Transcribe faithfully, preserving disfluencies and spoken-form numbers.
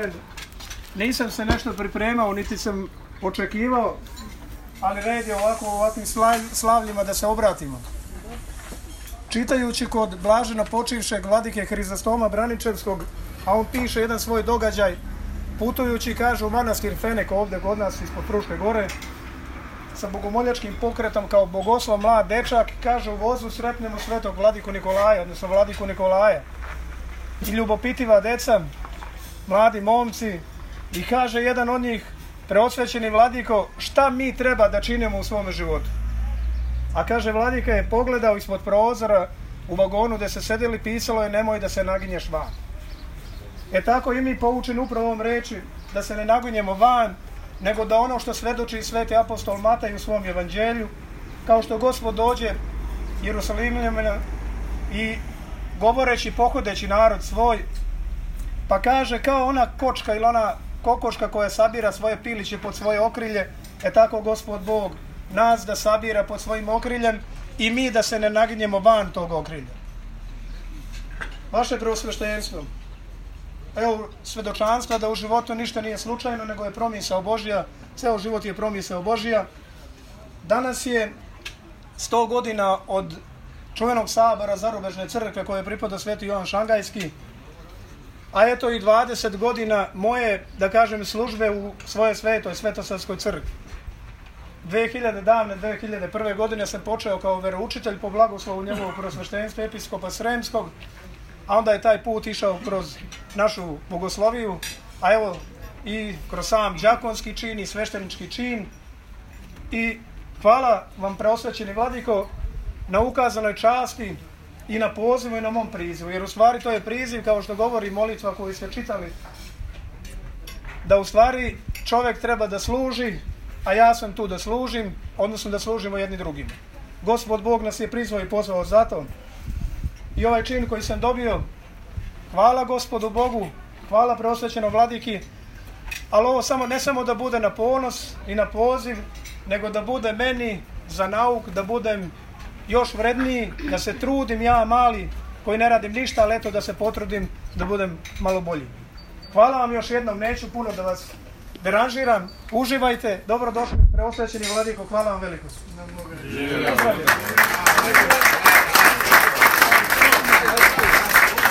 iskren, nisam se nešto pripremao, niti sam očekivao, ali red je ovako u ovakvim slavljima da se obratimo. Čitajući kod blaženo počivšeg vladike Hrizostoma Braničevskog, a on piše jedan svoj događaj, putujući, kaže, u manastir Fenek ovdje kod nas ispod Fruške gore, sa bogomoljačkim pokretom kao bogoslov mlad dečak, kaže, u vozu sretnemo svetog vladiku Nikolaja, odnosno vladiku Nikolaja. I ljubopitiva deca, mladi momci, i kaže jedan od njih, preosvećeni vladiko, šta mi treba da činimo u svome životu? A kaže, vladika je pogledao ispod prozora u vagonu gde se sedeli, pisalo je nemoj da se naginješ van. E tako i mi poučeni upravo ovom reči, da se ne naginjemo van, nego da ono što svedoči sveti apostol Mataj u svom evanđelju, kao što Gospod dođe Jerusalimljama i govoreći, pohodeći narod svoj, pa kaže kao ona kočka ili ona kokoška koja sabira svoje piliće pod svoje okrilje, e tako Gospod Bog nas da sabira pod svojim okriljem i mi da se ne naginjemo van tog okrilja. Vaše preosveštenstvo, evo svedočanstva da u životu ništa nije slučajno, nego je promisao Božja, ceo život je promisao Božja. Danas je sto godina od čuvenog sabora Zarubežne crkve koje pripada Sveti Jovan Šangajski, a eto i dvadeset godina moje, da kažem, službe u svojoj svetoj Svetosavskoj crkvi. dve hiljade davne, dve hiljade prve godine sam počeo kao veroučitelj po blagoslovu njegovog preosveštenstva episkopa Sremskog, a onda je taj put išao kroz našu bogosloviju, a evo i kroz sam đakonski čin i sveštenički čin. I hvala vam, preosvećeni vladiko, na ukazanoj časti i na pozivu i na mom prizivu, jer u stvari to je priziv, kao što govori molitva koju ste čitali, da u stvari čovjek treba da služi, a ja sam tu da služim, odnosno da služimo jedni drugim. Gospod Bog nas je prizvao i pozvao zato. I ovaj čin koji sam dobio, hvala Gospodu Bogu, hvala preosvećenom vladiki, ali ovo samo, ne samo da bude na ponos i na poziv, nego da bude meni za nauk, da budem još vredniji, da se trudim ja mali koji ne radim ništa, ali eto da se potrudim da budem malo bolji. Hvala vam još jednom, neću puno da vas deranžiram, uživajte, dobrodošli preosvećeni vladiko, hvala vam veliko.